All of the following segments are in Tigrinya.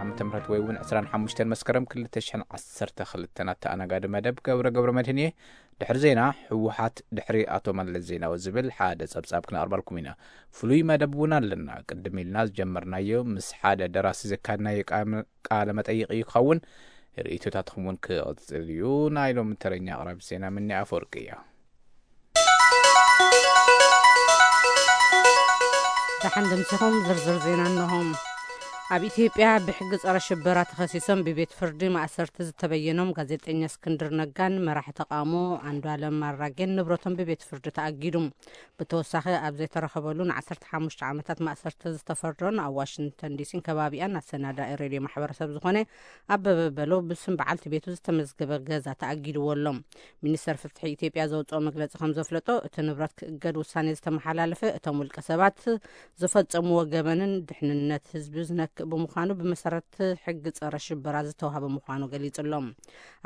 ዓመተ ምህረት ወይ እውን ዕስራን ሓሙሽተን መስከረም ክልተ ሽሕን ዓሰርተ ክልተን ኣተኣናጋዲ መደብ ገብረ ገብረ መድህን እየ። ድሕሪ ዜና፣ ህወሓት ድሕሪ ኣቶ መለስ ዜናዊ ዝብል ሓደ ጸብጻብ ክነቕርበልኩም ኢና። ፍሉይ መደብ እውን ኣለና። ቅድም ኢልና ዝጀመርናዮ ምስ ሓደ ደራሲ ዘካድናዮ ቃ-፣ ቃለ መጠይቕ እዩ ክኸውን። ርእይቶታትኩም እውን ክቕጽል እዩ። ናይ ሎሚ ተረኛ ኣቕራቢ ዜና ምኒ ኣፈወርቂ እያ። ደሓን ደምሲኹም ዝርዝር ዜና እንሆ። ኣብ ኢትዮጵያ ብሕጊ ጸረ ሽበራ ተኸሲሶም ብቤት ፍርዲ ማእሰርቲ ዝተበየኖም ጋዜጠኛ እስክንድር ነጋን መራሒ ተቃውሞ ኣንዱዓለም ኣራጌን ንብረቶም ብቤት ፍርዲ ተኣጊዱ። ብተወሳኺ ኣብ ዘይተረኸበሉ ንዓሰርተ ሓሙሽተ ዓመታት ማእሰርቲ ዝተፈርዶን ኣብ ዋሽንግተን ዲሲን ከባቢኣን ኣሰናዳኢ ሬድዮ ማሕበረሰብ ዝኾነ ኣበበ በሎ ብስም በዓልቲ ቤቱ ዝተመዝገበ ገዛ ተኣጊድዎ ኣሎ። ሚኒስተር ፍትሒ ኢትዮጵያ ዘውፅኦ መግለፂ ከም ዘፍለጦ፣ እቲ ንብረት ክእገድ ውሳኔ ዝተመሓላለፈ እቶም ውልቀ ሰባት ዝፈጸምዎ ገበንን ድሕንነት ህዝቢ ዝነክእ ብምዃኑ ብመሰረት ሕጊ ጸረ ሽበራ ዝተዋህበ ምዃኑ ገሊጹ ኣሎ።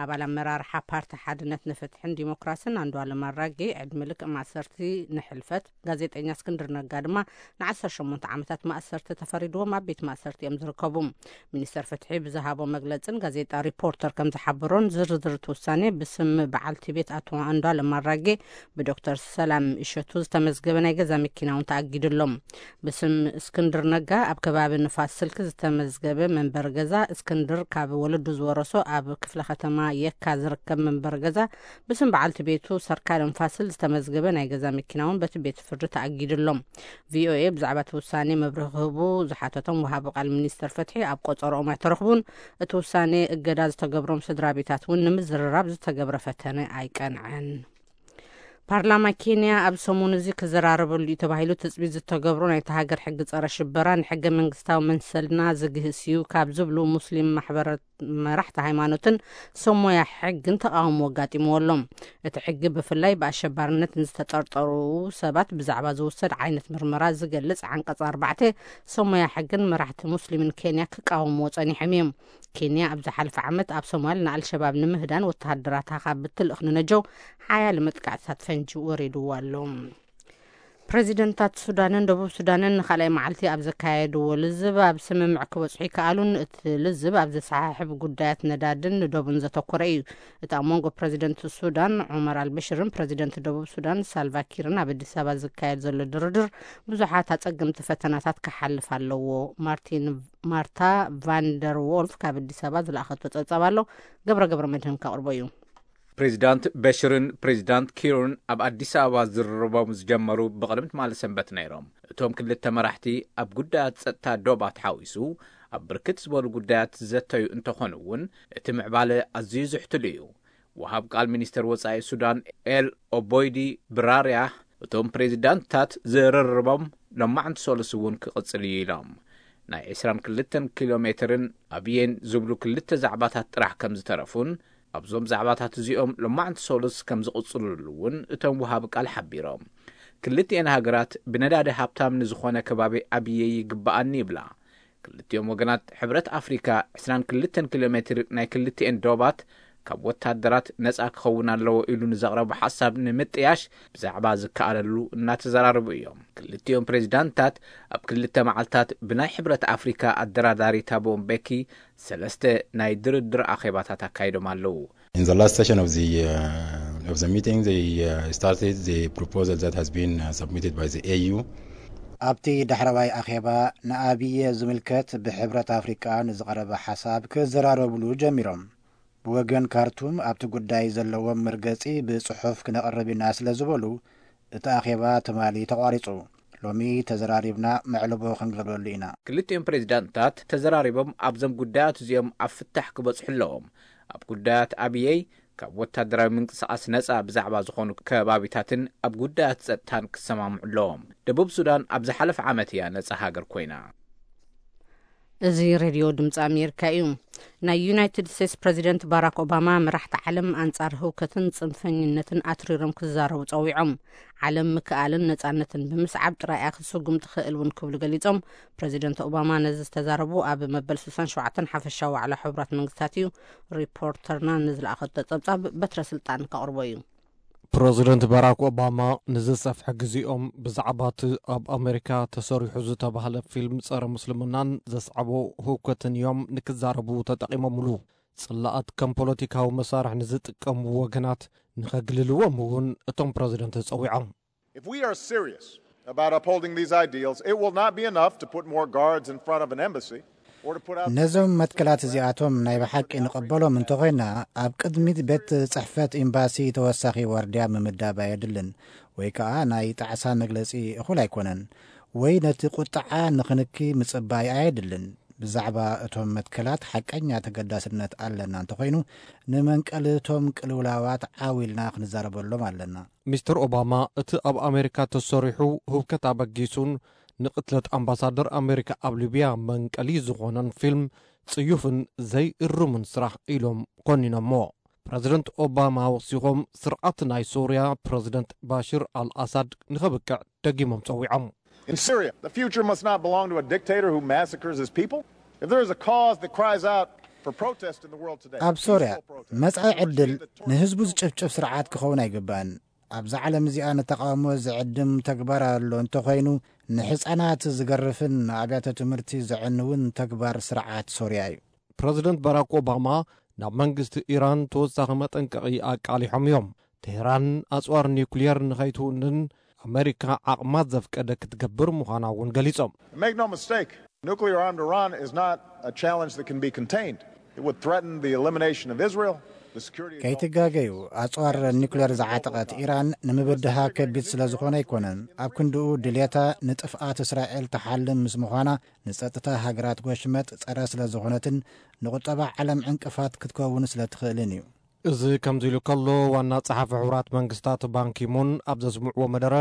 ኣባል ኣመራርሓ ፓርቲ ሓድነት ንፍትሕን ዲሞክራስን ኣንዱዓለም ኣራጌ ዕድመ ልክዕ ማእሰርቲ ንሕልፈት ጋዜጠኛ እስክንድር ነጋ ድማ ንዓሰርተ ሸሞንተ ዓመታት ማእሰርቲ ተፈሪድዎም ኣብ ቤት ማእሰርቲ እዮም ዝርከቡ። ሚኒስተር ፍትሒ ብዝሃቦ መግለጽን ጋዜጣ ሪፖርተር ከም ዝሓበሮን ዝርዝር እቲ ውሳኔ ብስም በዓልቲ ቤት ኣቶ ኣንዱዓለም ኣራጌ ብዶክተር ሰላም እሸቱ ዝተመዝገበ ናይ ገዛ መኪና እውን ተኣጊዱ ኣሎ። ብስም እስክንድር ነጋ ኣብ ከባቢ ንፋስ ስልክ ዝተመዝገበ መንበሪ ገዛ፣ እስክንድር ካብ ወለዱ ዝወረሶ ኣብ ክፍለ ከተማ የካ ዝርከብ መንበሪ ገዛ፣ ብስም በዓልቲ ቤቱ ሰርካለም ፋስል ዝተመዝገበ ናይ ገዛ መኪና እውን በቲ ቤት ፍርዲ ተኣጊዱ ኣሎ። ቪኦኤ ብዛዕባ እቲ ውሳኔ መብርሂ ክህቡ ዝሓተቶም ወሃቢ ቃል ሚኒስተር ፍትሒ ኣብ ቆጸሮኦም ኣይተረኽቡን። እቲ ውሳኔ እገዳ ዝተገብሮም ስድራ ቤታት እውን ንምዝርራብ ዝተገብረ ፈተነ ኣይቀንዐን። ፓርላማ ኬንያ ኣብ ሰሙን እዚ ክዘራረበሉ እዩ ተባሂሉ ትጽቢት ዝተገብሮ ናይታ ሃገር ሕጊ ጸረ ሽበራ ንሕገ መንግስታዊ መሰልና ዝግህስ እዩ ካብ ዝብሉ ሙስሊም ማሕበረ-፣ መራሕቲ ሃይማኖትን ሰሞያ ሕግን ተቃውሞ ኣጋጢምዎ ኣሎ። እቲ ሕጊ ብፍላይ ብኣሸባሪነት ንዝተጠርጠሩ ሰባት ብዛዕባ ዝውሰድ ዓይነት ምርመራ ዝገልጽ ዓንቀጽ ኣርባዕተ ሰሞያ ሕግን መራሕቲ ሙስሊምን ኬንያ ክቃወምዎ ጸኒሖም እዮም። ኬንያ ኣብ ዝሓለፈ ዓመት ኣብ ሶማል ንኣልሸባብ ንምህዳን ወተሃደራታ ካብ እትልእኽ ንነጀው ሓያለ መጥቃዕትታት ፈንጂ ወሪድዋ ኣሎ። ፕሬዚደንታት ሱዳንን ደቡብ ሱዳንን ንኻልኣይ መዓልቲ ኣብ ዘካየድዎ ልዝብ ኣብ ስምምዕ ክበጽሑ ይከኣሉን እቲ ልዝብ ኣብ ዘሰሓሕብ ጉዳያት ነዳድን ንዶብን ዘተኮረ እዩ። እቲ ኣብ መንጎ ፕሬዚደንት ሱዳን ዑመር ኣልበሽርን ፕሬዚደንት ደቡብ ሱዳን ሳልቫኪርን ኣብ ኣዲስ ኣበባ ዝካየድ ዘሎ ድርድር ብዙሓት ኣጸገምቲ ፈተናታት ክሓልፍ ኣለዎ። ማርቲን ማርታ ቫንደር ዎልፍ ካብ ኣዲስ ኣበባ ዝለኣኸቶ ጸብጻብ ኣሎ። ገብረ ገብረ መድህን ከቕርቦ እዩ። ፕሬዚዳንት በሽርን ፕሬዚዳንት ኪርን ኣብ ኣዲስ ኣበባ ዝርርቦም ዝጀመሩ ብቕድሚ ትማሊ ሰንበት ነይሮም። እቶም ክልተ መራሕቲ ኣብ ጉዳያት ጸጥታ ዶባት ሓዊሱ ኣብ ብርክት ዝበሉ ጉዳያት ዝዘተዩ እንተኾኑ እውን እቲ ምዕባለ ኣዝዩ ዝሕትሉ እዩ። ወሃብ ቃል ሚኒስተር ወጻኢ ሱዳን ኤል ኦቦይዲ ብራርያ እቶም ፕሬዚዳንትታት ዝርርቦም ሎማዕንቲ ሰሉስ እውን ክቕጽል እዩ ኢሎም። ናይ ዕስራን ክልተን ኪሎ ሜትርን ኣብየን ዝብሉ ክልተ ዛዕባታት ጥራሕ ከም ዝተረፉን ኣብዞም ዛዕባታት እዚኦም ሎማዕንቲ ሰሉስ ከም ዝቕጽሉሉ እውን እቶም ወሃቢ ቃል ሓቢሮም። ክልቲኤን ሃገራት ብነዳዲ ሃብታም ንዝኾነ ከባቢ ኣብየ ይግብኣኒ ይብላ። ክልቲኦም ወገናት ሕብረት ኣፍሪካ ዕስራን ክልተን ኪሎ ሜትር ናይ ክልቲኤን ዶባት ካብ ወታደራት ነፃ ክኸውን ኣለዎ ኢሉ ንዘቕረቦ ሓሳብ ንምጥያሽ ብዛዕባ ዝከኣለሉ እናተዘራረቡ እዮም። ክልቲኦም ፕሬዚዳንታት ኣብ ክልተ መዓልታት ብናይ ሕብረት ኣፍሪካ ኣደራዳሪ ታቦ ምቤኪ ሰለስተ ናይ ድርድር ኣኼባታት ኣካይዶም ኣለዉ። In the last session of the, uh, of the meeting, they, uh, started the proposal that has been, uh, submitted by the A U. ኣብቲ ዳሕረዋይ ኣኼባ ንኣብየ ዝምልከት ብሕብረት ኣፍሪቃ ንዝቐረበ ሓሳብ ክዘራረብሉ ጀሚሮም። ብወገን ካርቱም ኣብቲ ጉዳይ ዘለዎም መርገጺ ብጽሑፍ ክነቕርብ ኢና ስለ ዝበሉ፣ እቲ ኣኼባ ትማሊ ተቋሪጹ። ሎሚ ተዘራሪብና መዕልቦ ክንገብረሉ ኢና። ክልቲኦም ፕሬዚዳንታት ተዘራሪቦም ኣብዞም ጉዳያት እዚኦም ኣብ ፍታሕ ክበጽሑ ኣለዎም። ኣብ ጉዳያት ኣብየይ ካብ ወታደራዊ ምንቅስቓስ ነጻ ብዛዕባ ዝኾኑ ከባቢታትን ኣብ ጉዳያት ጸጥታን ክሰማምዑ ኣለዎም። ደቡብ ሱዳን ኣብ ዝሓለፈ ዓመት እያ ነጻ ሃገር ኮይና። እዚ ሬድዮ ድምፂ ኣሜሪካ እዩ። ናይ ዩናይትድ ስቴትስ ፕሬዚደንት ባራክ ኦባማ መራሕቲ ዓለም ኣንጻር ህውከትን ጽንፈኝነትን ኣትሪሮም ክዛረቡ ጸዊዖም። ዓለም ምክኣልን ነጻነትን ብምስዓብ ጥራይ እያ ክትስጉም ትኽእል እውን ክብሉ ገሊጾም። ፕሬዚደንት ኦባማ ነዚ ዝተዛረቡ ኣብ መበል ስሳን ሸውዓተን ሓፈሻዊ ዋዕላ ሕቡራት መንግስታት እዩ። ሪፖርተርና ንዝለኣኸቶ ጸብጻብ በትረ ስልጣን ከቕርቦ እዩ። ፕረዚደንት ባራክ ኦባማ ንዝሰፍሐ ግዜኦም ብዛዕባ እቲ ኣብ ኣሜሪካ ተሰሪሑ ዝተባህለ ፊልም ጸረ ምስልምናን ዘስዓቦ ህውከትን እዮም ንክዛረቡ ተጠቒሞምሉ። ጽላኣት ከም ፖለቲካዊ መሳርሒ ንዝጥቀሙ ወገናት ንኸግልልዎም እውን እቶም ፕረዚደንት ጸዊዖም። If we are serious about upholding these ideals, it will not be enough to put more guards in front of an embassy or to put out ነዞም መትከላት እዚኣቶም ናይ ብሓቂ ንቐበሎም እንተኾይና፣ ኣብ ቅድሚት ቤት ጽሕፈት ኤምባሲ ተወሳኺ ዋርድያ ምምዳብ ኣየድልን፣ ወይ ከኣ ናይ ጣዕሳ መግለጺ እኹል ኣይኮነን፣ ወይ ነቲ ቁጥዓ ንኽንኪ ምጽባይ ኣየድልን። ብዛዕባ እቶም መትከላት ሓቀኛ ተገዳስነት ኣለና እንተኾይኑ፣ ንመንቀሊ እቶም ቅልውላዋት ዓው ኢልና ክንዛረበሎም ኣለና። ሚስተር ኦባማ እቲ ኣብ ኣሜሪካ ተሰሪሑ ህውከት ኣበጊሱን ንቕትለት ኣምባሳደር ኣሜሪካ ኣብ ሊብያ መንቀሊ ዝኾነን ፊልም ጽዩፍን ዘይእርምን ስራሕ ኢሎም ኮኒኖሞ። ፕረዚደንት ኦባማ ወሲኾም ስርዓት ናይ ሶርያ ፕረዚደንት ባሽር ኣልኣሳድ ንኸብቅዕ ደጊሞም ጸዊዖም። In Syria, the future must not belong to a dictator who massacres his people. If there is a cause that cries out for protest in the world today, ኣብ ሶርያ መጻኢ ዕድል ንህዝቡ ዝጭፍጭፍ ስርዓት ክኸውን ኣይግባእን። ኣብዛ ዓለም እዚኣ ንተቓውሞ ዝዕድም ተግባር ኣሎ እንተኾይኑ፣ ንሕፃናት ዝገርፍን ንኣብያተ ትምህርቲ ዘዕንውን ተግባር ስርዓት ሶርያ እዩ። ፕረዚደንት ባራክ ኦባማ ናብ መንግስቲ ኢራን ተወሳኺ መጠንቀቒ ኣቃሊሖም እዮም። ቴህራን ኣፅዋር ኒውክሊየር ንኸይትውንን ኣመሪካ ዓቕማ ዘፍቀደ ክትገብር ምዃና እውን ገሊጾም። Make no mistake, nuclear armed Iran is not a challenge that can be contained. It would threaten the elimination of Israel, the security of ከይትጋገዩ፣ ኣፅዋር ኒውክሌር ዝዓጠቐት ኢራን ንምብድሃ ከቢድ ስለ ዝኾነ ኣይኮነን። ኣብ ክንድኡ ድልየታ ንጥፍኣት እስራኤል ትሓልም ምስ ምዃና፣ ንፀጥታ ሃገራት ጎሽመጥ ፀረ ስለ ዝኾነትን ንቁጠባ ዓለም ዕንቅፋት ክትከውን ስለ ትኽእልን እዩ። እዚ ከምዚ ኢሉ ከሎ፣ ዋና ጸሓፊ ሕቡራት መንግስታት ባንኪሙን ኣብ ዘስምዕዎ መደረ፣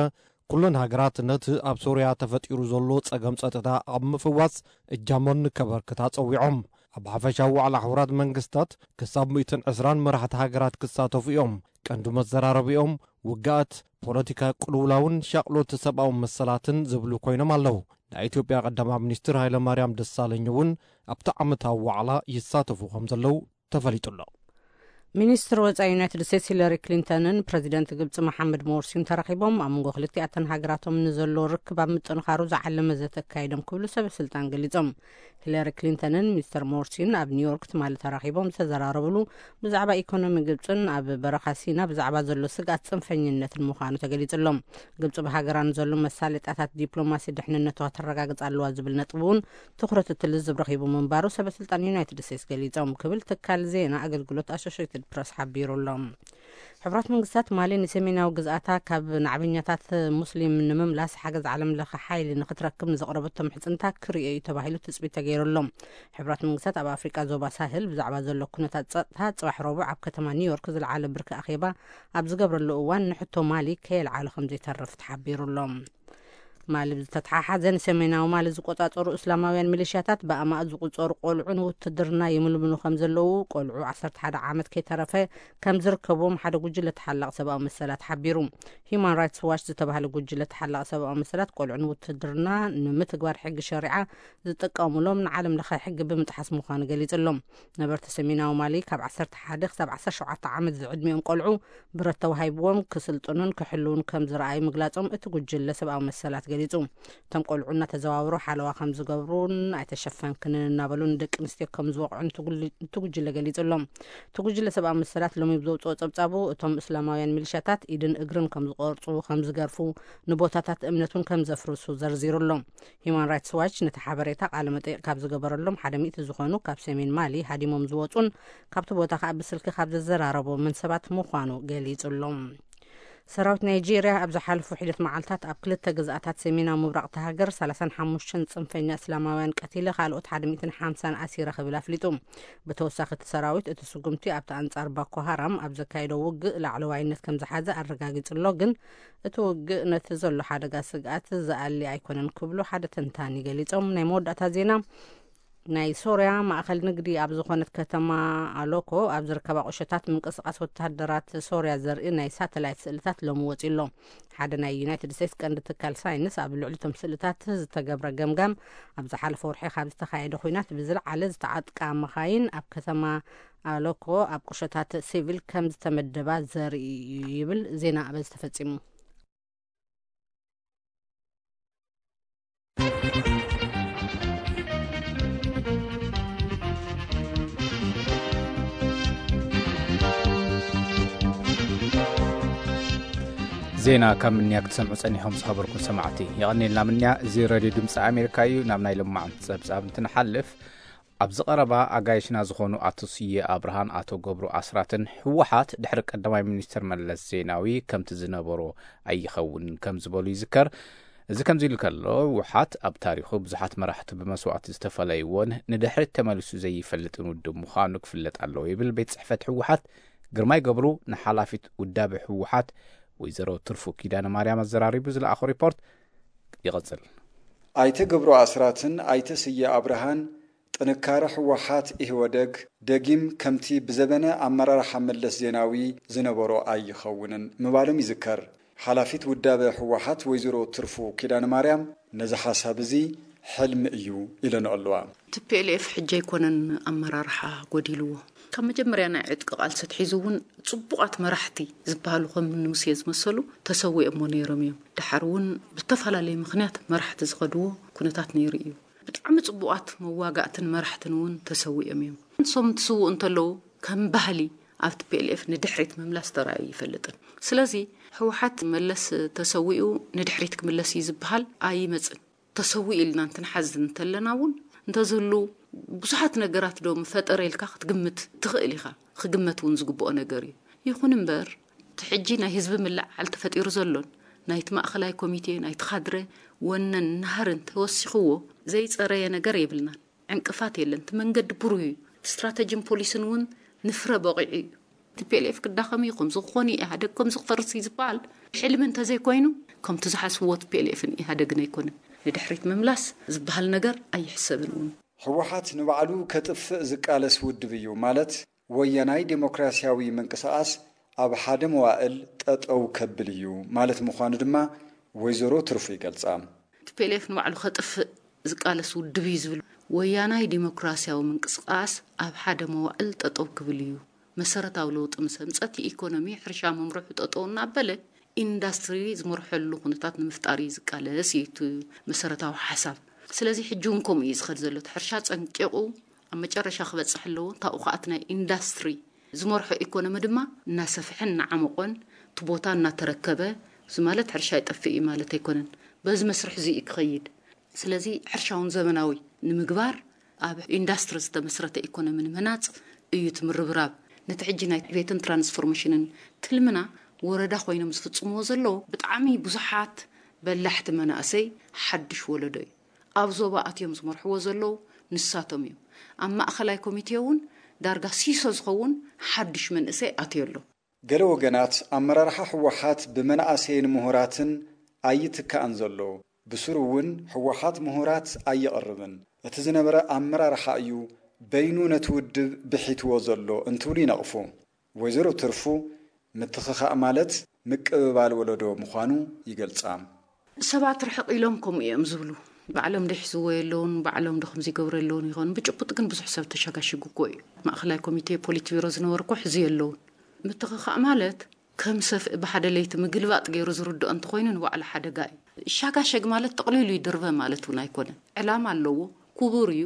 ኩለን ሃገራት ነቲ ኣብ ሶርያ ተፈጢሩ ዘሎ ጸገም ጸጥታ ኣብ ምፍዋስ እጃሞን ከበርክታ ጸዊዖም። ኣብ ሓፈሻዊ ዋዕላ ሕቡራት መንግስታት ክሳብ ሚእትን ዕስራን መራሕቲ ሃገራት ክሳተፉ እዮም። ቀንዲ መዘራረቢኦም ውግኣት፣ ፖለቲካ ቅልውላውን ሻቕሎት ሰብኣዊ መሰላትን ዝብሉ ኮይኖም ኣለዉ። ናይ ኢትዮጵያ ቀዳማይ ሚኒስትር ሃይለማርያም ደሳለኝ እውን ኣብቲ ዓመታዊ ዋዕላ ይሳተፉ ከም ዘለዉ ተፈሊጡ ኣሎ። ሚኒስትር ወፃኢ ዩናይትድ ስቴትስ ሂለሪ ክሊንተንን ፕረዚደንት ግብፂ መሓመድ ሞርሲን ተራኺቦም ኣብ መንጎ ክልቲኣተን ሃገራቶም ንዘሎ ርክብ ኣብ ምጥንኻሩ ዝዓለመ ዘተ ኣካይዶም ክብሉ ሰበ ስልጣን ገሊፆም። ሂለሪ ክሊንተንን ሚስተር ሞርሲን ኣብ ኒውዮርክ ትማሊ ተራኺቦም ዝተዘራረብሉ ብዛዕባ ኢኮኖሚ ግብፅን ኣብ በረኻ ሲና ብዛዕባ ዘሎ ስግኣት ፅንፈኝነትን ምዃኑ ተገሊፁ ኣሎ። ግብፂ ብሃገራ ንዘሎ መሳለጥያታት ዲፕሎማሲ ድሕንነቷ ተረጋግፅ ኣለዋ ዝብል ነጥቢ እውን ትኹረት እቲ ልዝብ ረኺቡ ምንባሩ ሰበ ስልጣን ዩናይትድ ስቴትስ ገሊፆም ክብል ትካል ዜና ኣገልግሎት ኣሶሽትድ ፕረስ ሓቢሩ ኣሎ። ሕቡራት መንግስታት ማሊ ንሰሜናዊ ግዝኣታ ካብ ናዕበኛታት ሙስሊም ንምምላስ ሓገዝ ዓለም ለኸ ሓይሊ ንክትረክብ ንዘቕረበቶ ምሕፅንታ ክርእዮ እዩ ተባሂሉ ትፅቢት ተገይሩ ኣሎ። ሕቡራት መንግስታት ኣብ ኣፍሪቃ ዞባ ሳህል ብዛዕባ ዘሎ ኩነታት ፀጥታ ፅባሕ ረቡዕ ኣብ ከተማ ኒውዮርክ ዝለዓለ ብርኪ ኣኼባ ኣብ ዝገብረሉ እዋን ንሕቶ ማሊ ከየልዓሎ ከም ዘይተርፍ ተሓቢሩ ኣሎ። ማሊ ብዝተተሓሓዘ ንሰሜናዊ ማሊ ዝቆጻጸሩ እስላማውያን ሚሊሽያታት ብኣማእት ዝቁጸሩ ቆልዑ ንውትድርና ይምልምሉ ከም ዘለዉ ቆልዑ ዓሰርተ ሓደ ዓመት ከይተረፈ ከም ዝርከብዎም ሓደ ጉጅለ ተሓላቕ ሰብኣዊ መሰላት ሓቢሩ። ሂዩማን ራይትስ ዋች ዝተባህለ ጉጅለ ተሓላቕ ሰብኣዊ መሰላት ቆልዑ ንውትድርና ንምትግባር ሕጊ ሸሪዓ ዝጥቀሙሎም ንዓለም ለኸ ሕጊ ብምጥሓስ ምዃኑ ገሊጹ ኣሎ። ነበርቲ ሰሜናዊ ማሊ ካብ ዓሰርተ ሓደ ክሳብ ዓሰርተ ሸውዓተ ዓመት ዝዕድሚኦም ቆልዑ ብረት ተዋሂብዎም ክስልጥኑን ክሕልውን ከም ዝረኣዩ ምግላጾም እቲ ጉጅለ ሰብኣዊ መሰላት ገሊጹ። እቶም ቆልዑ እናተዘዋወሩ ሓለዋ ከም ዝገብሩን ኣይተሸፈንክንን እናበሉ ንደቂ ኣንስትዮ ከም ዝወቕዑን እቲ ጉል- እቲ ጉጅለ ገሊጹ ኣሎ። እቲ ጉጅለ ሰብኣዊ መሰላት ሎሚ ብዘውፅኦ ጸብጻቡ እቶም እስላማውያን ሚሊሻታት ኢድን እግርን ከም ዝቆርጹ፣ ከም ዝገርፉ፣ ንቦታታት እምነት እውን ከም ዘፍርሱ ዘርዚሩ ኣሎ። ሂዩማን ራይትስ ዋች ነቲ ሓበሬታ ቃለ መጠይቕ ካብ ዝገበረሎም ሓደ ሚእቲ ዝኾኑ ካብ ሰሜን ማሊ ሃዲሞም ዝወጹን ካብቲ ቦታ ከኣ ብስልኪ ካብ ዘዘራረቦምን ሰባት ምዃኑ ገሊጹ ኣሎ። ሰራዊት ናይጄርያ ኣብ ዝሓለፉ ሒደት መዓልታት ኣብ ክልተ ግዝኣታት ሰሜናዊ ምብራቕ እታ ሃገር ሰላሳን ሓሙሽተን ጽንፈኛ እስላማውያን ቀቲለ ካልኦት ሓደ ሚእትን ሓምሳን ኣሲረ ክብል ኣፍሊጡ። ብተወሳኺ እቲ ሰራዊት እቲ ስጉምቲ ኣብቲ ኣንጻር ባኮ ሃራም ኣብ ዘካየዶ ውግእ ላዕለዋይነት ከም ዝሓዘ ኣረጋጊጹ ኣሎ፣ ግን እቲ ውግእ ነቲ ዘሎ ሓደጋ ስግኣት ዝኣሊ ኣይኮነን ክብሉ ሓደ ተንታኒ ገሊጾም። ናይ መወዳእታ ዜና ናይ ሶርያ ማእኸል ንግዲ ኣብ ዝኾነት ከተማ ኣሎኮ ኣብ ዝርከባ ቁሸታት ምንቅስቓስ ወተሃደራት ሶርያ ዘርኢ ናይ ሳተላይት ስእልታት ሎሚ ወፂኡ ኣሎ። ሓደ ናይ ዩናይትድ ስቴትስ ቀንዲ ትካል ሳይንስ ኣብ ልዕሊ እቶም ስእልታት ዝተገብረ ገምጋም ኣብ ዝሓለፈ ወርሒ ካብ ዝተኻየደ ኹናት ብዝለዓለ ዝተዓጥቃ መኻይን ኣብ ከተማ ኣሎኮ ኣብ ቁሸታት ሲቪል ከም ዝተመደባ ዘርኢ እዩ ይብል ዜና ኣበዝ ተፈጺሙ። ዜና ካብ ምንያ ክትሰምዑ ጸኒሖም ዝኸበርኩም ሰማዕቲ። የቐኔልና ምንያ፣ እዚ ሬድዮ ድምፂ ኣሜሪካ እዩ። ናብ ናይ ሎማዓንቲ ጸብጻብ እንትንሓልፍ፣ ኣብዚ ቀረባ ኣጋይሽና ዝኾኑ ኣቶ ስየ ኣብርሃን ኣቶ ገብሩ ኣስራትን ህወሓት ድሕሪ ቀዳማይ ሚኒስትር መለስ ዜናዊ ከምቲ ዝነበሮ ኣይኸውን ከም ዝበሉ ይዝከር። እዚ ከምዚ ኢሉ ከሎ፣ ህወሓት ኣብ ታሪኹ ብዙሓት መራሕቱ ብመስዋእቲ ዝተፈለይዎን ንድሕሪት ተመሊሱ ዘይፈልጥን ውድብ ምዃኑ ክፍለጥ ኣለዎ ይብል ቤት ጽሕፈት ህወሓት። ግርማይ ገብሩ ንሓላፊት ውዳበ ህወሓት ወይዘሮ ትርፉ ኪዳነ ማርያም ኣዘራሪቡ ዝለኣኾ ሪፖርት ይቐጽል። ኣይተ ገብሩ ኣስራትን ኣይተ ስየ ኣብርሃን ጥንካረ ህወሓት ኢህወደግ ደጊም ከምቲ ብዘበነ ኣመራርሓ መለስ ዜናዊ ዝነበሮ ኣይኸውንን ምባሎም ይዝከር። ሓላፊት ውዳበ ህወሓት ወይዘሮ ትርፉ ኪዳነ ማርያም ነዚ ሓሳብ እዚ ሕልሚ እዩ ኢለንኦ ኣለዋ። ቲ ፒ ኤል ኤፍ ሕጂ ኣይኮነን ኣመራርሓ ጎዲልዎ። ካብ መጀመርያ ናይ ዕጥቂ ቃልሲ ኣትሒዙ እውን ጽቡቓት መራሕቲ ዝበሃሉ ከም ንሙሴ ዝመሰሉ ተሰዊኦሞ ነይሮም እዮም። ደሓር እውን ብዝተፈላለየ ምኽንያት መራሕቲ ዝኸድዎ ኩነታት ነይሩ እዩ። ብጣዕሚ ጽቡቓት መዋጋእትን መራሕትን እውን ተሰዊኦም እዮም። ንሶም ትስውኡ እንተለዉ ከም ባህሊ ኣብ ቲ ፒ ኤል ኤፍ ንድሕሪት ምምላስ ተራእዩ ይፈልጥን። ስለዚ ህወሓት መለስ ተሰዊኡ ንድሕሪት ክምለስ እዩ ዝበሃል ኣይመጽን። ተሰዊኡ ኢልና እንትንሓዝ እንተለና እውን እንተዝህሉ ብዙሓት ነገራት ዶ ምፈጠረ ኢልካ ክትግምት ትኽእል ኢኻ። ክግመት እውን ዝግብኦ ነገር እዩ። ይኹን እምበር እቲ ሕጂ ናይ ህዝቢ ምልዕዓል ተፈጢሩ ዘሎን ናይቲ ማእኸላይ ኮሚቴ ናይቲ ካድረ ወነን ናህርን ተወሲኽዎ ዘይጸረየ ነገር የብልናን። ዕንቅፋት የለን። እቲ መንገዲ ብሩህ እዩ። እቲ ስትራተጂን ፖሊስን እውን ንፍረ በቂዑ እዩ። ቲ ፒ ኤል ኤፍ ክዳኸም እዩ፣ ከምዚ ክኾን እዩ፣ ኢህኣደግ ከምዚ ክፈርስ እዩ ዝበሃል ሕልሚ እንተዘይኮይኑ፣ ከምቲ ዝሓስብዎ ቲ ፒ ኤል ኤፍን ኢህኣደግን ኣይኮነን። ንድሕሪት ምምላስ ዝበሃል ነገር ኣይሕሰብን እውን። ህወሓት ንባዕሉ ከጥፍእ ዝቃለስ ውድብ እዩ ማለት ወያናይ ዴሞክራሲያዊ ምንቅስቓስ ኣብ ሓደ መዋእል ጠጠው ከብል እዩ ማለት ምዃኑ ድማ ወይዘሮ ትርፉ ይገልጻ። ቲ ፒ ኤል ኤፍ ንባዕሉ ከጥፍእ ዝቃለስ ውድብ እዩ ዝብል ወያናይ ዴሞክራሲያዊ ምንቅስቃስ ኣብ ሓደ መዋእል ጠጠው ክብል እዩ። መሰረታዊ ለውጢ ምስ ኣምጸት ኢኮኖሚ ሕርሻ ምምርሑ ጠጠው እናበለ ኢንዳስትሪ ዝመርሐሉ ኩነታት ንምፍጣር እዩ ዝቃለስ እዩ እቲ መሰረታዊ ሓሳብ። ስለዚ ሕጂ እውን ከምኡ እዩ ዝኸድ ዘሎ። እቲ ሕርሻ ጸንቂቑ ኣብ መጨረሻ ክበጽሕ ኣለዎ። እንታኡ ከኣ እቲ ናይ ኢንዳስትሪ ዝመርሖ ኢኮኖሚ ድማ እናሰፍሐን እናዓመቖን እቲ ቦታ እናተረከበ፣ እዚ ማለት ሕርሻ ይጠፍእ እዩ ማለት ኣይኮነን። በዚ መስርሕ እዚ እዩ ክኸይድ። ስለዚ ሕርሻ እውን ዘመናዊ ንምግባር ኣብ ኢንዳስትሪ ዝተመስረተ ኢኮኖሚ ንምህናጽ እዩ እቲ ምርብራብ። ነቲ ሕጂ ናይ ቤትን ትራንስፎርሜሽንን ትልምና ወረዳ ኮይኖም ዝፍጽምዎ ዘለዉ ብጣዕሚ ብዙሓት በላሕቲ መናእሰይ ሓድሽ ወለዶ እዩ። ኣብ ዞባ ኣትዮም ዝመርሕዎ ዘለዉ ንሳቶም እዮም። ኣብ ማእኸላይ ኮሚቴ እውን ዳርጋ ሲሶ ዝኸውን ሓድሽ መንእሰይ ኣትዮ ኣሎ። ገለ ወገናት ኣመራርሓ ህወሓት ብመናእሰይን ምሁራትን ኣይትካእን ዘሎ፣ ብስሩ እውን ህወሓት ምሁራት ኣየቕርብን፣ እቲ ዝነበረ ኣመራርሓ እዩ በይኑ ነቲ ውድብ ብሒትዎ ዘሎ እንትብሉ ይነቕፉ። ወይዘሮ ትርፉ ምትኽኻእ ማለት ምቅብባል ወለዶ ምዃኑ ይገልጻ። ሰባት ርሕቕ ኢሎም ከምኡ እዮም ዝብሉ። ባዕሎም ድሕዝዎ የለውን፣ ባዕሎም ዶ ከምዚ ይገብሩ የለውን ይኾን። ብጭቡጥ ግን ብዙሕ ሰብ ተሸጋሽጉ እኮ እዩ። ማእኸላይ ኮሚቴ ፖሊት ቢሮ ዝነበሩ እኮ ሕዚ የለውን። ምትኽኻእ ማለት ከም ሰፍኢ ብሓደ ለይቲ ምግልባጥ ገይሩ ዝርድኦ እንተኾይኑ ንባዕሉ ሓደጋ እዩ። ይሻጋሸግ ማለት ጠቕሊሉ ይድርበ ማለት እውን ኣይኮነን። ዕላማ ኣለዎ፣ ክቡር እዩ፣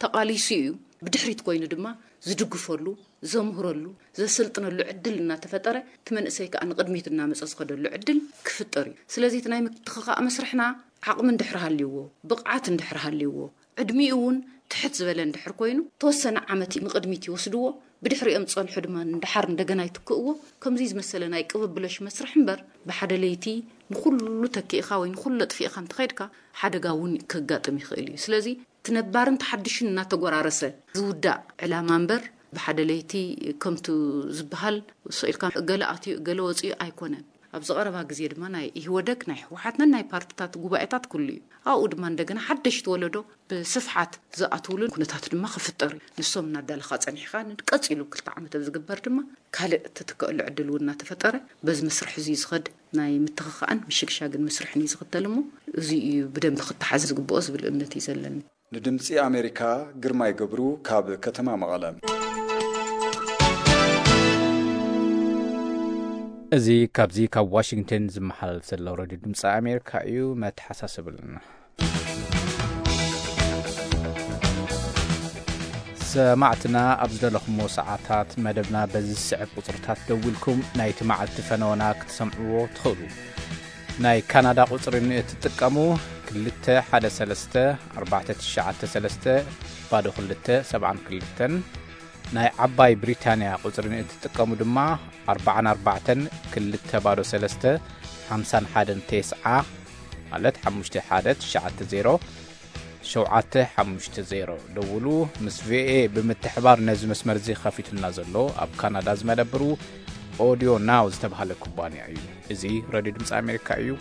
ተቓሊሱ እዩ። ብድሕሪት ኮይኑ ድማ ዝድግፈሉ፣ ዘምህረሉ፣ ዘሰልጥነሉ ዕድል እናተፈጠረ እቲ መንእሰይ ከዓ ንቕድሚት እናመፀ ዝኸደሉ ዕድል ክፍጠር እዩ። ስለዚ እቲ ናይ ምትኽኻእ መስርሕና ዓቕሚ እንድሕር ሃልይዎ፣ ብቕዓት እንድሕር ሃልይዎ፣ ዕድሚኡ እውን ትሕት ዝበለ እንድሕር ኮይኑ ተወሰነ ዓመት ንቕድሚት ይወስድዎ። ብድሕሪኦም ዝፀንሑ ድማ ንደሓር እንደገና ይትክእዎ። ከምዚ ዝመሰለ ናይ ቅብብሎሽ መስርሕ እምበር ብሓደ ለይቲ ንኹሉ ተኪእኻ ወይ ንኹሉ ኣጥፊእኻ እንተኸይድካ ሓደጋ እውን ከጋጥም ይኽእል እዩ። ስለዚ እቲ ነባርን ተሓድሽን እናተጎራረሰ ዝውዳእ ዕላማ እምበር ብሓደ ለይቲ ከምቱ ዝበሃል ስቕ ኢልካ ገለ ኣትዩ ገለ ወፂኡ ኣይኮነን። ኣብዚ ቀረባ ግዜ ድማ ናይ ኢህወደግ ናይ ህወሓት ነናይ ፓርትታት ጉባኤታት ኩሉ እዩ። ኣብኡ ድማ እንደገና ሓደሽቲ ወለዶ ብስፍሓት ዝኣትውሉ ኩነታት ድማ ክፍጠር እዩ። ንሶም እናዳለኻ ጸኒሕካ ንቀጺሉ ክልተ ዓመት ኣብ ዝግበር ድማ ካልእ ትትክእሉ ዕድል እውን እናተፈጠረ በዚ መስርሕ እዚ ዝኸድ ናይ ምትኽኻእን ምሽግሻግን መስርሕን እዩ ዝኽተል እሞ እዚ እዩ ብደንቢ ክተሓዝ ዝግብኦ ዝብል እምነት እዩ ዘለኒ። ንድምጺ ኣሜሪካ ግርማይ ገብሩ ካብ ከተማ መቐለ። እዚ ካብዚ ካብ ዋሽንግተን ዝመሓላለፍ ዘሎ ሬድዮ ድምፂ ኣሜሪካ እዩ። መተሓሳሰብልና፣ ሰማዕትና፣ ኣብ ዝደለኹሞ ሰዓታት መደብና በዚ ዝስዕብ ቁፅርታት ደዊልኩም ናይቲ መዓልቲ ፈነወና ክትሰምዕዎ ትኽእሉ። ናይ ካናዳ ቁፅሪ ንእትጥቀሙ፣ ክልተ ሓደ ሰለስተ ኣርባዕተ ትሽዓተ ሰለስተ ባዶ ክልተ ሰብዓን ክልተን። ናይ ዓባይ ብሪታንያ ቁፅሪ ንእትጥቀሙ ድማ፣ ኣርባዓን ኣርባዕተን ክልተ ባዶ ሰለስተ ሓምሳን ሓደን ተስዓ፣ ማለት ሓሙሽተ ሓደ ትሽዓተ ዜሮ ሸውዓተ ሓሙሽተ ዜሮ። ደውሉ። ምስ ቪኦኤ ብምትሕባር ነዚ መስመር እዚ ከፊቱልና ዘሎ ኣብ ካናዳ ዝመደብሩ ኦዲዮ ናው ዝተባህለ ኩባንያ እዩ። እዚ ሬድዮ ድምፂ ኣሜሪካ እዩ።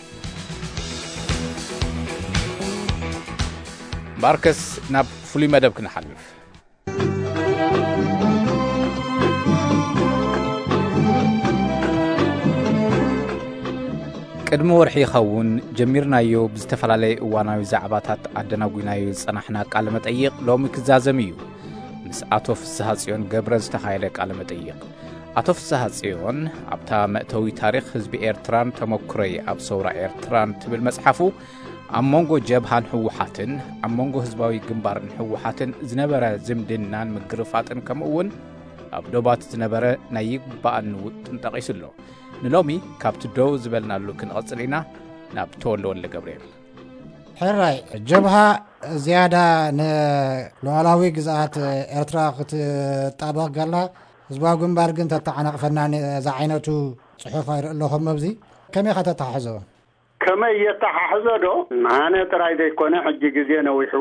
እምበኣርከስ ናብ ፍሉይ መደብ ክንሓልፍ። ቅድሚ ወርሒ ይኸውን ጀሚርናዮ ብዝተፈላለየ እዋናዊ ዛዕባታት ኣደናጒናዮ ዝጸናሕና ቃለ መጠይቕ ሎሚ ክዛዘም እዩ። ምስ ኣቶ ፍስሃጽዮን ገብረ ዝተኻየደ ቃለ መጠይቕ። ኣቶ ፍስሃጽዮን ኣብታ መእተዊ ታሪኽ ህዝቢ ኤርትራን ተመኩሮይ ኣብ ሰውራ ኤርትራን ትብል መጽሓፉ ኣብ መንጎ ጀብሃን ህወሓትን ኣብ መንጎ ህዝባዊ ግንባርን ህወሓትን ዝነበረ ዝምድናን ምግርፋጥን ከምኡ እውን ኣብ ዶባት ዝነበረ ናይ ይግባኣኒ ውጥን ጠቒሱ ኣሎ። ንሎሚ ካብቲ ደው ዝበልናሉ ክንቐጽል ኢና። ናብ ተወልደ ወልደ ገብርኤል። ሕራይ፣ ጀብሃ ዝያዳ ንሉዓላዊ ግዝኣት ኤርትራ ክትጣበቕ ገላ፣ ህዝባዊ ግንባር ግን ተተዓናቕፈና ን-፣ ዝዓይነቱ ጽሑፍ ኣይርኢ ኣለኹም ኣብዚ። ከመይ ኢኻ ተተሓሕዞ? ከመይ የተሓሕዞ ዶ? ኣነ ጥራይ ዘይኮነ፣ ሕጂ ግዜ ነዊሑ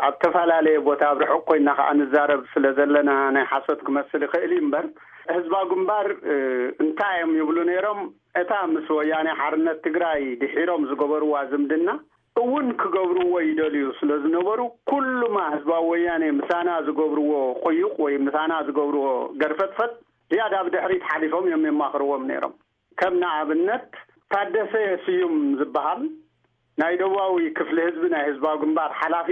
ኣብ ተፈላለየ ቦታ ኣብ ርሑቕ ኮይና ከኣ ንዛረብ ስለ ዘለና ናይ ሓሶት ክመስል ይኽእል እዩ እምበር፣ ህዝባዊ ግንባር፣ እ፣ እንታይ እዮም ይብሉ ነይሮም? እታ ምስ ወያኔ ሓርነት ትግራይ ድሒሮም ዝገበርዋ ዝምድና እውን ክገብርዎ ይደልዩ ስለ ዝነበሩ፣ ኩሉማ ህዝባዊ ወያኔ ምሳና ዝገብርዎ ቁዩቕ ወይ ምሳና ዝገብርዎ ገርፈጥፈጥ ዝያዳ ብድሕሪት ሓሊፎም እዮም የማኽርዎም ነይሮም። ከም ንኣብነት ታደሰ ስዩም ዝበሃል ናይ ደቡባዊ ክፍሊ ህዝቢ ናይ ህዝባዊ ግንባር ሓላፊ፣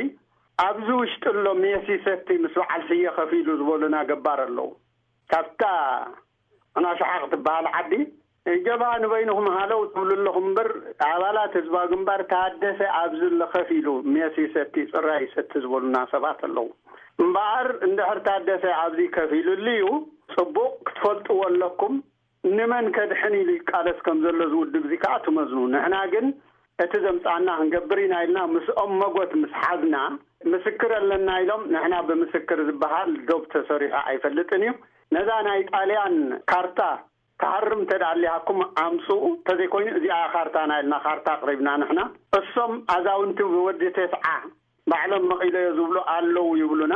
ኣብዚ ውሽጢ ኣሎ ሜሲ ሰቲ ምስ በዓል ስየ ከፊሉ ዝበሉና ገባር ኣለዉ። ካብታ ኣናሽሓ ክትበሃል ዓዲ ጀብሃ ንበይንኹም ሃለው ትብሉ ኣለኹም እምበር፣ ኣባላት ህዝባዊ ግንባር ታደሰ ኣብዚ ኣሎ ከፊሉ ሜሲ ሰቲ፣ ጽራይ ሰቲ ዝበሉና ሰባት ኣለዉ። እምበኣር እንድሕር ታደሰ ኣብዚ ከፊሉሉ እዩ፣ ጽቡቕ ክትፈልጥዎ ኣለኩም። ንመን ከድሕን ኢሉ ይቃለስ ከም ዘሎ እዚ ውድብ እዚ ከኣ ትመዝኑ። ንሕና ግን እቲ ዘምጻና ክንገብር ኢና ኢልና ምስኦም መጎት ምስ ሓዝና፣ ምስክር ኣለና ኢሎም፣ ንሕና ብምስክር ዝበሃል ዶብ ተሰሪሑ ኣይፈልጥን እዩ። ነዛ ናይ ጣልያን ካርታ ክሃርም እንተ ደኣ ኣሊሃኩም ኣምጽኡ፣ እንተዘይኮይኑ እዚኣ ካርታና ኢልና ካርታ ኣቕሪብና ንሕና። እሶም ኣዛውንቲ ወዲ ተስዓ ባዕሎም መቒለዮ ዝብሉ ኣለዉ ይብሉና።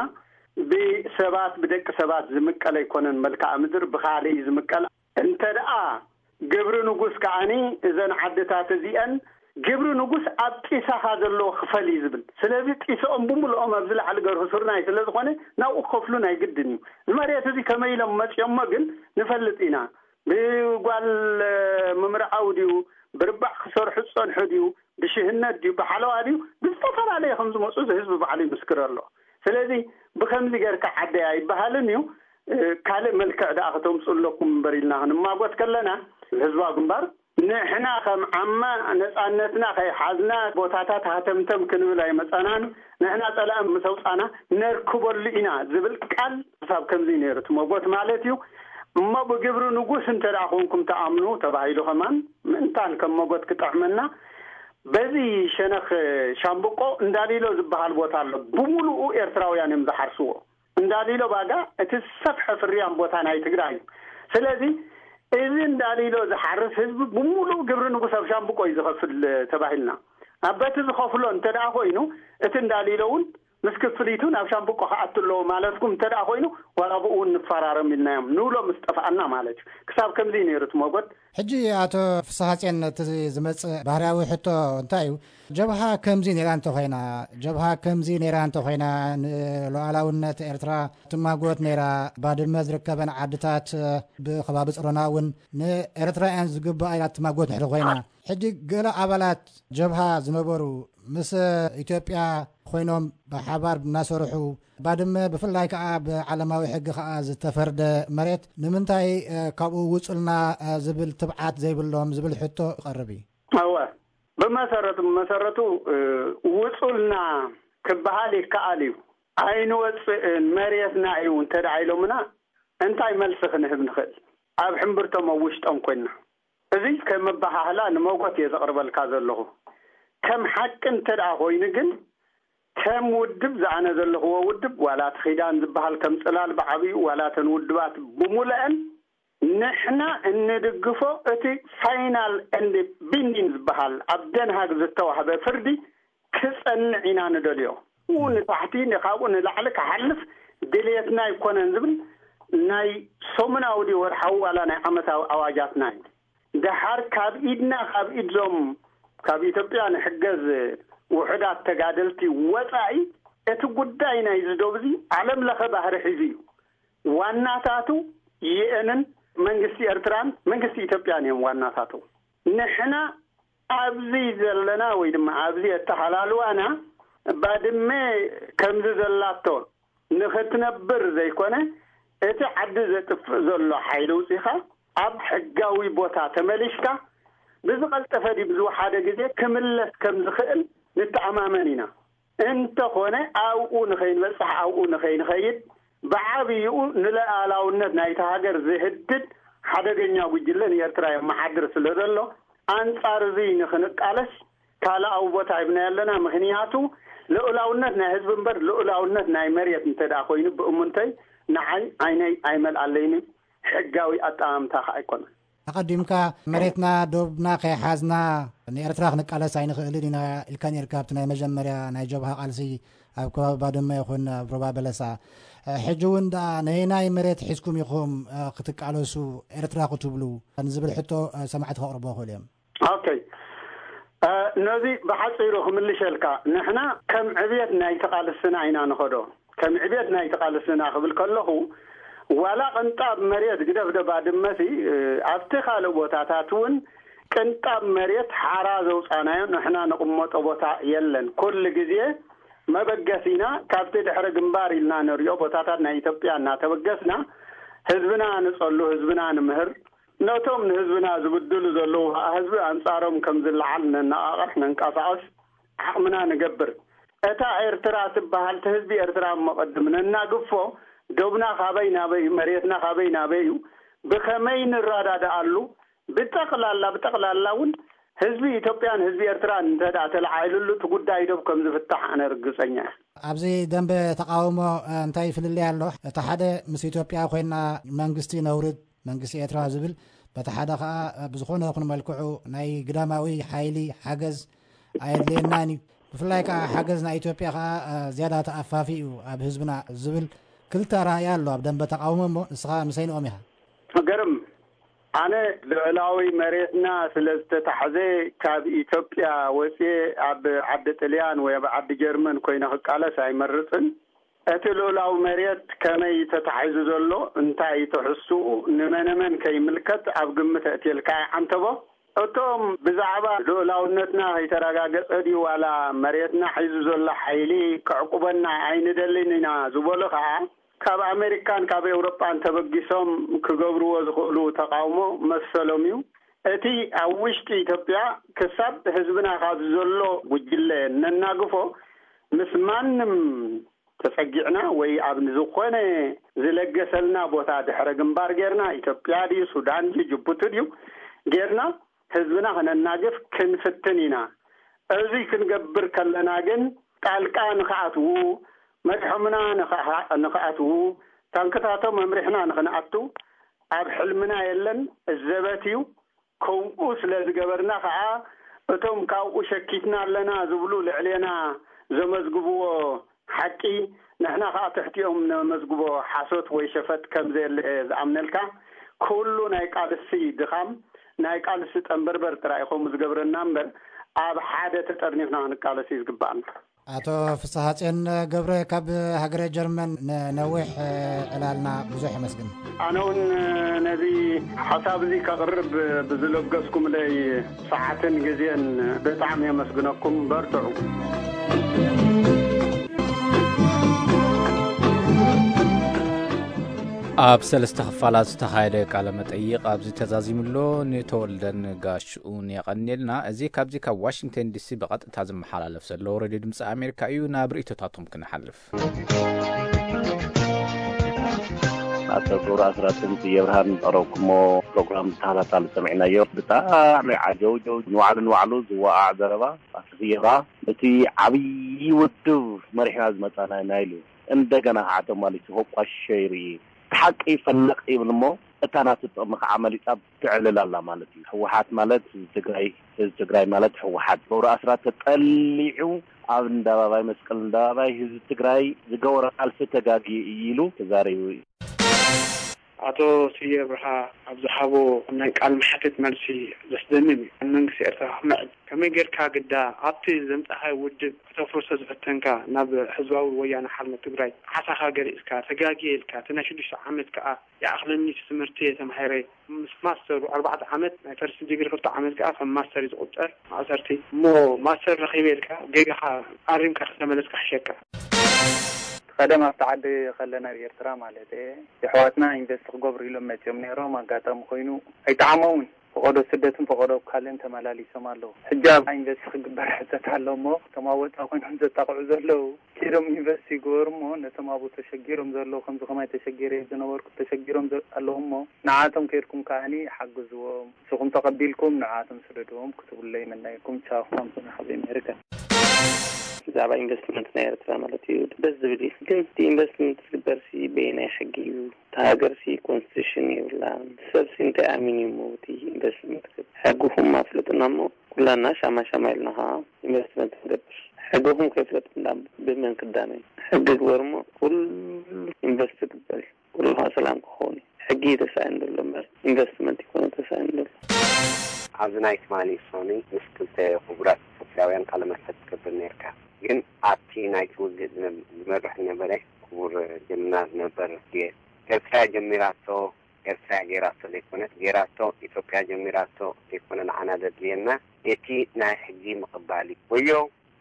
ብሰባት፣ ብደቂ ሰባት ዝምቀል ኣይኮነን መልክዓ ምድር፣ ብኻልእ እዩ ዝምቀል። እንተ ደኣ ግብሪ ንጉስ ከኣኒ እዘን ዓድታት እዚአን ግብሪ ንጉስ ኣብ ጢሳኻ ዘለዎ ክፈል እዩ ዝብል። ስለዚ ጢስኦም ብምልኦም ኣብዚ ላዕሊ ገርሁ ስርናይ ስለ ዝኾነ ናብኡ ክኸፍሉ ናይ ግድን እዩ። እዚ መሬት እዚ ከመይ ኢሎም መጺኦሞ ግን ንፈልጥ ኢና። ብጓል ምምርዓው ድዩ፣ ብርባዕ ክሰርሑ ዝጸንሑ ድዩ፣ ብሽህነት ድዩ፣ ብሓለዋ ድዩ፣ ብዝተፈላለየ ከም ዝመጹ እዚ ህዝቢ ባዕሉ ይምስክር ኣሎ። ስለዚ ብኸምዚ ጌርካ ዓደይ ኣይበሃልን እዩ። እ፣ ካልእ መልክዕ ደኣ ከተምጽኡ ኣለኩም እምበር ኢልና ክንማጎት ከለና፣ ህዝባዊ ግንባር ንሕና ከም ዓማ ነጻነትና ከይሓዝና ቦታታት ሃተምተም ክንብል ኣይመጻናን። ንሕና ጸላኢ ምስ ኣውጻና ነርክበሉ ኢና ዝብል ቃል ክሳብ ከምዚ ነይሩ እቲ መጎት ማለት እዩ። እሞ ብግብሪ ንጉስ እንተ ደኣ ኮንኩም ትኣምኑ ተባሂሉ ከማን ምእንታን ከም መጎት ክጥዕመና፣ በዚ ሸነኽ ሻምብቆ እንዳሊሎ ዝበሃል ቦታ ኣሎ። ብምሉኡ ኤርትራውያን እዮም ዝሓርስዎ። እንዳሊሎ ባጋ እቲ ዝሰፍሐ ፍርያም ቦታ ናይ ትግራይ እዩ። ስለዚ እዚ እንዳሊሎ ዝሓርስ ህዝቢ ብምሉኡ ግብሪ ንጉስ ኣብ ሻምብቆ እዩ ዝኸፍል ተባሂልና። ኣብ በቲ ዝኸፍሎ እንተ ደኣ ኮይኑ፣ እቲ እንዳሊሎ እውን ምስ ክፍሊቱ ናብ ሻምብቆ ክኣቱ ኣለዎ ማለትኩም እንተ ደኣ ኮይኑ፣ ዋላ ብኡ እውን ንፈራረም ኢልናዮም ንብሎ ምስ ጠፍኣና ማለት እዩ። ክሳብ ከምዚ እዩ ነይሩ እቲ መጎት። ሕጂ ኣቶ ፍስሃጽዮን፣ እቲ ዝመጽእ ባህርያዊ ሕቶ እንታይ እዩ? ጀብሃ ከምዚ ነይራ እንተኾይና፣ ጀብሃ ከምዚ ነይራ እንተኾይና፣ ንሉዓላውነት ኤርትራ ትማጎት ነይራ፣ ባድመ ዝርከበን ዓድታት ብኸባቢ ጽሮና እውን ንኤርትራውያን ዝግባእ ኢላ ትማጎት እንድሕር ኮይና፣ ሕጂ ገለ ኣባላት ጀብሃ ዝነበሩ ምስ ኢትዮጵያ ኮይኖም ብሓባር እናሰርሑ፣ ባድመ ብፍላይ ከዓ ብዓለማዊ ሕጊ ከዓ ዝተፈርደ መሬት ንምንታይ ካብኡ ውፁልና ዝብል ትብዓት ዘይብሎም ዝብል ሕቶ ይቐርብ እዩ። እወ፣ ብመሰረቱ ብመሰረቱ ውፁልና ክበሃል ይከኣል እዩ። ኣይንወፅእን፣ መሬትና እዩ እንተ ደኣ ኢሎምና፣ እንታይ መልሲ ክንህብ ንኽእል? ኣብ ሕምብርቶም ኣብ ውሽጦም ኮይንና። እዚ ከም ኣበሃህላ ንመጎት እየ ዘቕርበልካ ዘለኹ። ከም ሓቂ እንተ ደኣ ኮይኑ ግን፣ ከም ውድብ ዝኣነ ዘለኽዎ ውድብ፣ ዋላ እቲ ኪዳን ዝበሃል ከም ጽላል ብዓብዩ፣ ዋላ እተን ውድባት ብምሉአን፣ ንሕና እንድግፎ እቲ ፋይናል ኤንድ ቢንዲን ዝበሃል ኣብ ደንሃግ ዝተዋህበ ፍርዲ ክጸንዕ ኢና ንደልዮ። ንታሕቲ፣ ካብኡ ንላዕሊ ክሓልፍ ድልየትና ኣይኮነን ዝብል ናይ ሰሙናዊ ድዩ ወርሓዊ ዋላ ናይ ዓመታዊ ኣዋጃትና እዩ። ደሓር ካብ ኢድና፣ ካብ ኢድዞም ካብ ኢትዮጵያ ንሕገዝ ውሑዳት ተጋደልቲ ወጻኢ፣ እቲ ጉዳይ ናይዚ ዶብ እዚ ዓለም ለኸ ባህሪ ሒዙ እዩ። ዋናታቱ ዩኤንን መንግስቲ ኤርትራን መንግስቲ ኢትዮጵያን እዮም ዋናታቱ። ንሕና ኣብዚ ዘለና ወይ ድማ ኣብዚ ኣተሃላልዋና፣ ባድመ ከምዚ ዘላቶ ንኽትነብር ዘይኮነ፣ እቲ ዓዲ ዘጥፍእ ዘሎ ሓይሊ ውፂኻ ኣብ ሕጋዊ ቦታ ተመሊስካ ብዝቐልጠፈ ድዩ ብዝወሓደ ግዜ ክምለስ ከም ዝኽእል ንተኣማመን ኢና። እንተኾነ ኣብኡ ንኸይንበፅሕ፣ ኣብኡ ንኸይንኸይድ፣ ብዓብይኡ ንሉኣላውነት ናይታ ሃገር ዝህድድ ሓደገኛ ጉጅለ ንኤርትራ የመሓድር ስለ ዘሎ፣ ኣንጻር እዚ ንኽንቃለስ ካልኣዊ ቦታ ሂብናዮ ኣለና። ምኽንያቱ ልኡላውነት ናይ ህዝቢ እምበር ልኡላውነት ናይ መሬት እንተ ደኣ ኮይኑ፣ ብእሙንተይ፣ ንዓይ ዓይነይ ኣይመልኣለይን፣ ሕጋዊ ኣጠማምታ ኸኣ ኣይኮነን። ኣቐዲምካ መሬትና ዶብና ከይሓዝና ንኤርትራ ክንቃለስ ኣይንኽእልን ኢና ኢልካ ነርካ ኣብቲ ናይ መጀመርያ ናይ ጀብሃ ቃልሲ ኣብ ከባቢ ባድመ ይኹን ኣብ ሩባ በለሳ። ሕጂ እውን ደኣ ነየናይ መሬት ሒዝኩም ኢኹም ክትቃለሱ ኤርትራ ክትብሉ ንዝብል ሕቶ ሰማዕቲ ከቕርቦ ይኽእሉ እዮም። ኦኬ፣ ነዚ ብሓጺሩ ክምልሸልካ፣ ንሕና ከም ዕብየት ናይቲ ቃልስና ኢና ንኸዶ። ከም ዕብየት ናይቲ ቃልስና ክብል ከለኹ፣ ዋላ ቅንጣብ መሬት ግደፍ ዶ ባድመሲ፣ ኣብቲ ካልእ ቦታታት እውን ቅንጣብ መሬት ሓራ ዘውጻናዮ ንሕና ንቕመጦ ቦታ የለን። ኩሉ ግዜ መበገሲና ካብቲ ድሕሪ ግንባር ኢልና ንሪኦ ቦታታት ናይ ኢትዮጵያ እናተበገስና ህዝብና ንጸሉ፣ ህዝብና ንምህር፣ ነቶም ንህዝብና ዝብድሉ ዘለዉ ኸኣ ህዝቢ ኣንጻሮም ከም ዝለዓል ነነቓቕሕ፣ ነንቀሳቐስ፣ ዓቕምና ንገብር። እታ ኤርትራ ትበሃል፣ እቲ ህዝቢ ኤርትራ እሞ ቅድም ነናግፎ፣ ዶብና ካበይ ናበይ፣ መሬትና ካበይ ናበይ እዩ፣ ብኸመይ ንረዳድኣሉ፣ ብጠቕላላ፣ ብጠቕላላ እውን ህዝቢ ኢትዮጵያን ህዝቢ ኤርትራን እንተ ደኣ ተለዓዒሉሉ፣ እቲ ጉዳይ ዶብ ከም ዝፍታሕ ኣነ ርግጸኛ እየ። ኣብዚ ደንበ ተቓውሞ እንታይ ፍልልይ ኣሎ? እቲ ሓደ ምስ ኢትዮጵያ ኮይና መንግስቲ ነውርድ፣ መንግስቲ ኤርትራ ዝብል፣ በቲ ሓደ ኸኣ ብዝኾነ ይኹን መልክዑ ናይ ግዳማዊ ሓይሊ ሓገዝ ኣየድልየናን እዩ። ብፍላይ ከኣ ሓገዝ ናይ ኢትዮጵያ ከኣ ዝያዳ ተኣፋፊ እዩ ኣብ ህዝብና ዝብል ክልተ ኣረኣእያ ኣሎ ኣብ ደንበ ተቓውሞ። እሞ ንስኻ ምሰይንኦም ኢኻ። ገርም፣ ኣነ ልዕላዊ መሬትና ስለ ዝተታሕዘ ካብ ኢትዮጵያ ወፅየ ኣብ ዓዲ ጥልያን ወይ ኣብ ዓዲ ጀርመን ኮይነ ክቃለስ ኣይመርፅን። እቲ ልኡላዊ መሬት ከመይ እዩ ተታሒዙ ዘሎ፣ እንታይ እዩ ትሕዝትኡ፣ ንመነመን ከይምልከት ኣብ ግምት ኣእትየልካ እየ ዓንተቦ። እቶም ብዛዕባ ልኡላውነትና ከይተረጋገጸ ድዩ ዋላ መሬትና ሒዙ ዘሎ ሓይሊ ከዕቁበና ኣይንደልን ኢና ዝበሉ ከኣ፣ ካብ ኣሜሪካን ካብ ኤውሮጳን ተበጊሶም ክገብርዎ ዝኽእሉ ተቓውሞ መሰሎም እዩ። እቲ ኣብ ውሽጢ ኢትዮጵያ ክሳብ ህዝብና ካብ ዘሎ ጉጅለ ነናግፎ ምስ ማንም ተጸጊዕና ወይ ኣብ ዝኾነ ዝለገሰልና ቦታ ድሕረ ግንባር ጌርና፣ ኢትዮጵያ ድዩ ሱዳን ድዩ ጅቡቲ ድዩ ጌርና ህዝብና ክነናግፍ ክንፍትን ኢና። እዚ ክንገብር ከለና ግን ጣልቃ ንኽኣትዉ፣ መድሖምና ንኽኣ- ንኽኣትዉ፣ ታንክታቶም መምሪሕና ንኽንኣቱ ኣብ ሕልምና የለን። እዚ ዘበት እዩ። ከምኡ ስለ ዝገበርና ኸኣ እቶም ካብኡ ሸኪትና ኣለና ዝብሉ ልዕሌና ዘመዝግብዎ ሓቂ ንሕና ኸኣ ትሕቲኦም ነመዝግቦ ሓሶት ወይ ሸፈጥ ከም ዘየለ እየ ዝኣምነልካ። ኩሉ ናይ ቃልሲ ድኻም ናይ ቃልሲ ጠንበርበር ጥራይ እዩ ከምኡ ዝገብረና እምበር ኣብ ሓደ ተጠርኒፍና ክንቃለስ እዩ ዝግባኣና። ኣቶ ፍስሃጽዮን ገብረ ካብ ሃገረ ጀርመን ንነዊሕ ዕላልና ብዙሕ የመስግን። ኣነ እውን ነዚ ሓሳብ እዚ ከቕርብ ብዝለገስኩምለይ ሰዓትን ግዜን ብጣዕሚ የመስግነኩም። በርትዑ። ኣብ ሰለስተ ክፋላት ዝተኻየደ ቃለ መጠይቕ ኣብዚ ተዛዚሙ ኣሎ። ንተወልደን ጋሽኡን የቐንየልና። እዚ ካብዚ ካብ ዋሽንግተን ዲሲ ብቐጥታ ዝመሓላለፍ ዘሎ ሬድዮ ድምፂ ኣሜሪካ እዩ። ናብ ርእይቶታቶም ክንሓልፍ። ኣቶ ገብሩ ኣስራትን ስየ ብርሃን ዝቐረብኩሞ ፕሮግራም ብተኸታታሊ ሰሚዕናዮ። ብጣዕሚ ዓጀውጀው፣ ንባዕሉ ንባዕሉ ዝወዓዕ ዘረባ። ኣቶ ስየ ብርሃ እቲ ዓብዪ ውድብ መሪሕና ዝመፃና ኢና ኢሉ እንደገና ከዓ ተማሊሱ ከቋሽሾ ይርኢ። እቲ ሓቂ ፈለቕ ይብል እሞ እታ ናቱ ጥቕሚ ከዓ መሊፃ ትዕልል ኣላ ማለት እዩ። ህወሓት ማለት ህዝቢ ትግራይ፣ ህዝቢ ትግራይ ማለት ህወሓት። ገብሩ ኣስራት ተጠሊዑ ኣብ እንዳባባይ መስቀል እንዳባባይ ህዝቢ ትግራይ ዝገበሮ ቃልሲ ተጋጊ እዩ ኢሉ ተዛሪቡ እዩ። ኣቶ ስየ ብርሃ ኣብ ዝሃቦ ናይ ቃል መሓትት መልሲ ዘስደምም እዩ። መንግስቲ ኤርትራ ክምዕድ ከመይ ጌርካ ግዳ ኣብቲ ዘምጻኻዮ ውድብ ከተፍርሶ ዝፈተንካ ናብ ህዝባዊ ወያነ ሓርነት ትግራይ ዓሳኻ ገሊጽካ ተጋግየ ኢልካ እቲ ናይ ሽዱሽተ ዓመት ከኣ ይኣኽለኒ እቲ ትምህርቲ እየ ተማሂረ ምስ ማስተሩ ኣርባዕተ ዓመት ናይ ፈርስት ዲግሪ ክልተ ዓመት ከኣ ከም ማስተር እዩ ዝቑጸር ማእሰርቲ እሞ ማስተር ረኺበ ኢልካ ጌጋኻ ኣሪምካ ከተመለስካ ሕሸካ። ቀደም ኣብቲ ዓዲ ከለና ኣብ ኤርትራ ማለት እየ የሕዋትና ኢንቨስት ክገብሩ ኢሎም መጺኦም ነይሮም ኣጋጣሚ ኮይኑ ኣይጠዓሞምን ፈቐዶ ስደትን ፈቐዶ ካልእን ተመላሊሶም ኣለዉ ሕጂ ኣብ ኢንቨስት ክግበር ሕተት ኣሎ እሞ እቶም ኣብ ወፃ ኮይኖም ዘጣቕዑ ዘለዉ ኪዶም ኢንቨስት ይግበሩ እሞ ነቶም ኣብኡ ተሸጊሮም ዘለዉ ከምዚ ከማይ ተሸጊረ ዝነበርኩ ተሸጊሮም ኣለዉ እሞ ንዓቶም ከይድኩም ከዓኒ ሓግዝዎም ንስኹም ተቐቢልኩም ንዓቶም ስደድዎም ክትብሉ ይምነየኩም ቻው ካምሶና ካብ ኣሜሪካ ብዛዕባ ኢንቨስትመንት ናይ ኤርትራ ማለት እዩ ደስ ዝብል እዩ ግን እቲ ኢንቨስትመንት ዝግበር ሲ በየናይ ሕጊ እዩ እታ ሃገር ሲ ኮንስቲቱሽን የብላን ሰብሲ እንታይ ኣሚኑ እዩ እቲ ኢንቨስትመንት ክብል ሕግኹም ኣፍልጡና እሞ ኩላና ሻማ ሻማ ኢልና ከዓ ኢንቨስትመንት ንገብር ሕግኹም ከይፍለጥ እንዳ ብመን ክዳነ እዩ ሕጊ ግበር እሞ ኩሉ ኢንቨስት ክግበር እዩ ኩሉ ከዓ ሰላም ክኸውን እዩ ሕጊ እዩ ተሳኢኑ ዘሎ እምበር ኢንቨስትመንት ይኮነ ተሳኢኑ ዘሎ ኣብዚ ናይ ትማሊ ሶኒ ምስ ክልተ ክቡራት ኢትዮጵያውያን ቃለ መሕትት ትገብር ነርካ ግን ኣብቲ ናይቲ ውግእ ዝመርሕ ዝነበረ ክቡር ጀምና ዝነበር ጌ ኤርትራ ጀሚራቶ ኤርትራ ጌራቶ ዘይኮነት ጌራቶ ኢትዮጵያ ጀሚራቶ ዘይኮነ ንዓና ዘድልየና እቲ ናይ ሕጊ ምቕባል እዩ ወዮ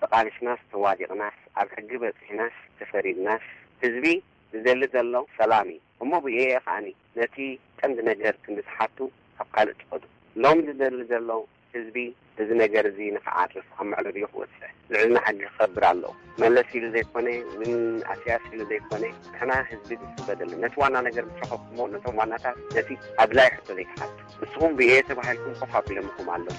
ተቓሊስናስ ተዋዲቕናስ ኣብ ሕጊ በጺሕናስ ተፈሪድናስ ህዝቢ ዝደሊ ዘሎ ሰላም እዩ እሞ ብኢኤ ከኣኒ ነቲ ቀንዲ ነገር ክንዲ ትሓቱ ኣብ ካልእ ትኸዱ ሎሚ ዝደሊ ዘሎ ህዝቢ እዚ ነገር እዚ ንክዓርፍ ኣብ መዕለቢኡ ክወጽዕ ልዕልና ሕጊ ክኸብር ኣለዎ መለስ ኢሉ ዘይኮነ ምን ኣስያስ ኢሉ ዘይኮነ ንሕና ህዝቢ ዝስበደሉ ነቲ ዋና ነገር ብትረኸብኩሞ ነቶም ዋናታት ነቲ ኣድላይ ሕቶ ዘይትሓቱ ንስኹም ብኤ ተባሂልኩም ኮፍ ኣቢሎምኹም ኣለዉ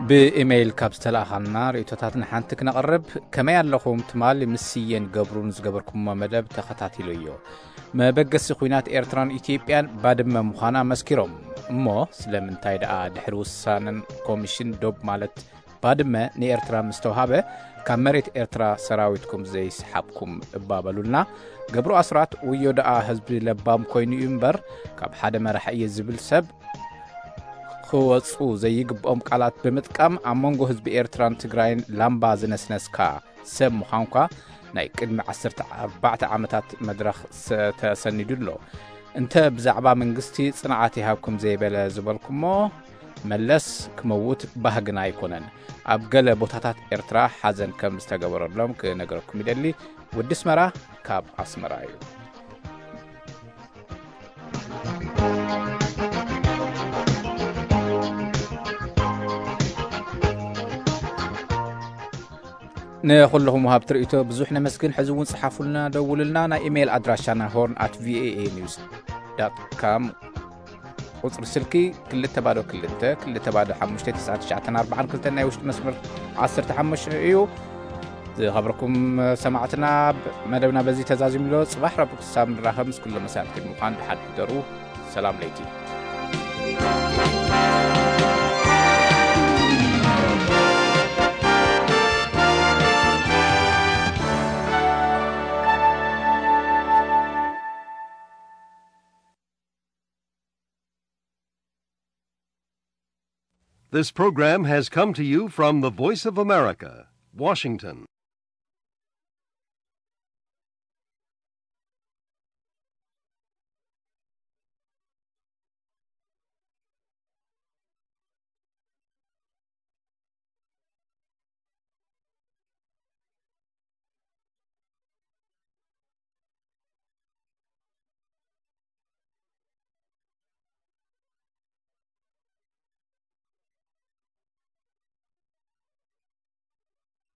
ብኢሜይል ካብ ዝተላእኻልና ርእቶታት ንሓንቲ ክነቕርብ ከመይ ኣለኹም ትማሊ ምስ ስየን ገብሩን ዝገበርኩሞ መደብ ተኸታቲለዮ መበገሲ ኲናት ኤርትራን ኢትዮጵያን ባድመ ምዃና መስኪሮም እሞ ስለምንታይ ደኣ ድሕሪ ውሳነን ኮሚሽን ዶብ ማለት ባድመ ንኤርትራ ምስ ተውሃበ ካብ መሬት ኤርትራ ሰራዊትኩም ዘይስሓብኩም እባ በሉልና ገብሩ ኣስራት ውዮ ደኣ ህዝቢ ለባም ኮይኑ እዩ እምበር ካብ ሓደ መራሒ እየ ዝብል ሰብ ክወፁ ዘይግብኦም ቃላት ብምጥቃም ኣብ መንጎ ህዝቢ ኤርትራን ትግራይን ላምባ ዝነስነስካ ሰብ ምዃንኳ ናይ ቅድሚ ዓሰርተ ኣርባዕተ ዓመታት መድረኽ ተሰኒዱ ኣሎ። እንተ ብዛዕባ መንግስቲ ጽንዓት ይሃብኩም ዘይበለ ዝበልኩሞ መለስ ክመውት ባህግና ኣይኮነን። ኣብ ገለ ቦታታት ኤርትራ ሓዘን ከም ዝተገበረሎም ክነግረኩም ይደሊ። ወዲ ኣስመራ ካብ ኣስመራ እዩ። ንኹልኹም ወሃብቲ ርእይቶ ብዙሕ ነመስግን። ሕዚ እውን ጽሓፉልና፣ ደውሉልና። ናይ ኢሜይል ኣድራሻና ሆርን ኣት ቪኦኤ ኒውስ ዳት ካም፣ ቁጽሪ ስልኪ ክልተ ባዶ ክልተ ክልተ ባዶ ሓሙሽተ ትስዓን ትሽዓተን ኣርባዓን ክልተን ናይ ውሽጢ መስመር ዓሰርተ ሓሙሽተ እዩ። ዝኸበርኩም ሰማዕትና፣ መደብና በዚ ተዛዚሙ ኣሎ። ጽባሕ ረቡዕ ክሳብ ንራኸብ ምስ ኩሎም መሳርሕቲ ብምዃን ደሓን ሕደሩ። ሰላም ለይቲ። This program has come to you from the Voice of America, Washington.